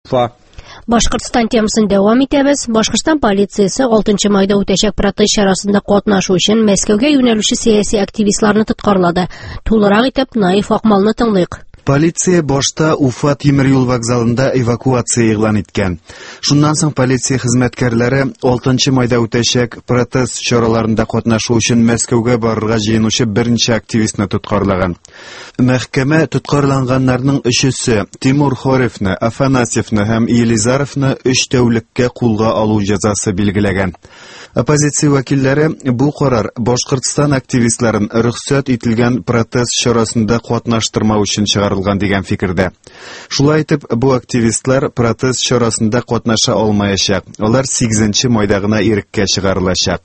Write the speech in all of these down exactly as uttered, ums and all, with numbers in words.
Уфа. Башкортстан темасын дәвам итәбез. Башкортстан полициясе алтынчы майда үтәчәк протест чарасында катнашу өчен Мәскәүгә юнәлүче сәяси активистларны тоткарлады. Тулырак итеп Наиф Акмалны тыңлыйк. Полиция башта Уфа тимер юл вокзалында эвакуация игълан иткән. Шуннан соң полиция хезмәткәрләре алтынчы майда үтәчәк протест чараларында катнашу өчен Мәскәүгә барырга җыенучы берничә активистны тоткарлаган. Мәхкәмә тоткарланганнарның өчесе Тимур Хоревны, Афанасьевны һәм Елизаровны өч тәүлеккә кулга алу җәзасы билгеләгән. Оппозиция вәкилләре бу карар Башкортстан активистларын рөхсәт ителгән протест чарасында катнаштырмау өчен чыгарылган дигән фикердә. Шулай итеп, бу активистлар протест чарасында катнаша алмаячак. Алар сигезенче майда гына иреккә чыгарылачак.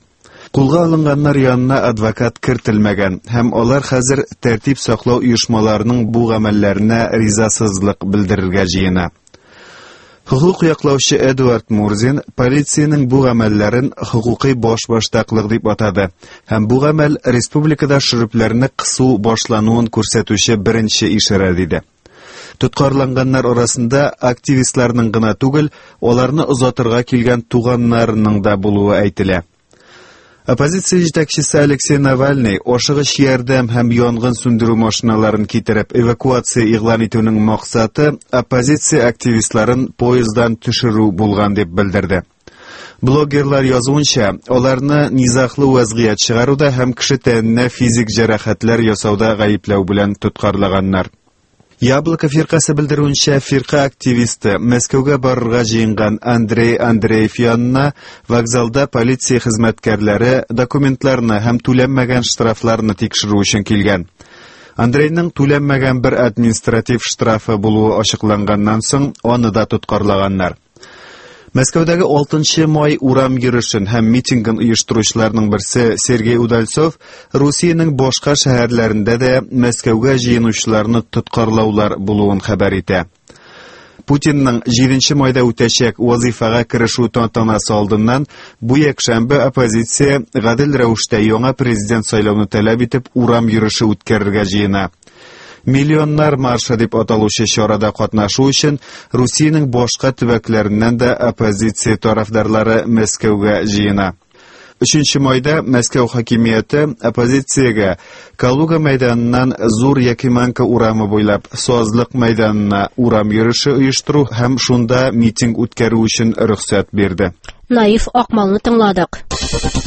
Кулга алынганнар янына адвокат кертелмәгән һәм алар хәзер тәртип саклау оешмаларының бу гамәлләренә ризасызлык белдерергә җыена. Хукук яклаучы Эдуард Мурзин полициянең бу гамәлләрен хукукый башбаштаклык дип атады һәм бу гамәл республикада шөрепләрне кысу башлануын күрсәтүче беренче ишарә диде. Тоткарланганнар арасында активистларның гына түгел, аларны озатырга килгән туганнарының да булуы әйтелә. Оппозиция җитәкчесе Алексей Навальный ашыгыч ярдәм һәм янгын сүндерү машиналарын китереп эвакуация игълан итүнең максаты оппозиция активистларын поезддан төшерү булган дип белдерде. Блогерлар язуынча, аларны низаглы вазгыять чыгаруда һәм кеше тәненә физик җәрәхәтләр ясауда гаепләү белән тоткарлаганнар. Яблоко фиркасе белдерүенчә, фирка активисты Мәскәүгә барырга җыенган Андрей Андреев янына вокзалда полиция хезмәткәрләре документларны һәм түләнмәгән штрафларны тикшерү өчен килгән. Андрейның түләнмәгән бер административ штрафы булуы ачыкланганнан соң аны да тоткарлаганнар. Мәскәүдәге алтынчы май урам йөрешен һәм митингын оештыручыларның берсе Сергей Удальцов Русиянең башка шәһәрләрендә дә Мәскәүгә җыенучыларны тоткарлаулар булуын хәбәр итә. Путинның җиденче майда үтәчәк вазифага керешү тантанасы алдыннан бу якшәмбе оппозиция гадел рәвештә яңа президент сайлауны таләп итеп урам йөреше үткәрергә җыена. Миллионнар маршы дип аталучы чарада катнашу өчен Русиянең башка төбәкләреннән дә оппозиция тарафдарлары Мәскәүгә җыена. Өченче майда Мәскәү хакимияте оппозициягә Калуга мәйданыннан Зур Якиманка урамы буйлап Сазлык мәйданына урам йөреше оештыру һәм шунда митинг үткәрү өчен рөхсәт бирде. Наиф Акмалны тыңладык.